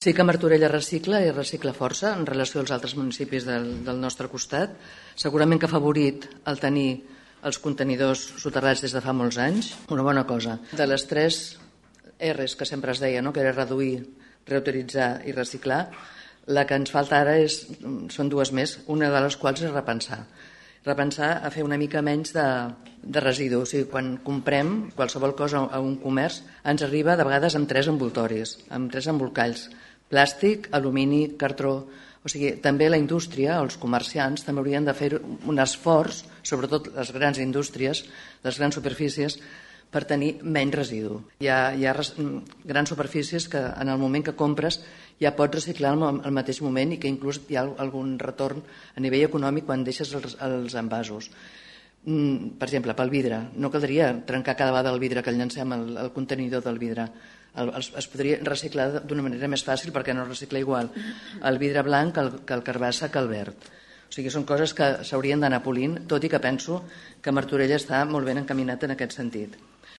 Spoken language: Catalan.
Sí que Martorell recicla i recicla força en relació als altres municipis del nostre costat. Segurament que ha afavorit el tenir els contenidors soterrats des de fa molts anys, una bona cosa. De les 3 R's que sempre es deia, no? Que era reduir, reutilitzar i reciclar, la que ens falta ara són 2 més, una de les quals és repensar a fer una mica menys de residus. O sigui, quan comprem qualsevol cosa a un comerç ens arriba de vegades amb 3 envoltoris, amb 3 embolcalls: plàstic, alumini, cartró. O sigui, també la indústria, els comerciants, també haurien de fer un esforç, sobretot les grans indústries, les grans superfícies, per tenir menys residu. Hi ha grans superfícies que en el moment que compres ja pots reciclar al mateix moment i que inclús hi ha algun retorn a nivell econòmic quan deixes els envasos. Per exemple, pel vidre, no caldria trencar cada vegada el vidre que llancem, el contenidor del vidre. Es podria reciclar d'una manera més fàcil perquè no es recicla igual el vidre blanc que el carbassa que el verd. O sigui, són coses que s'haurien d'anar polint, tot i que penso que Martorell està molt ben encaminat en aquest sentit.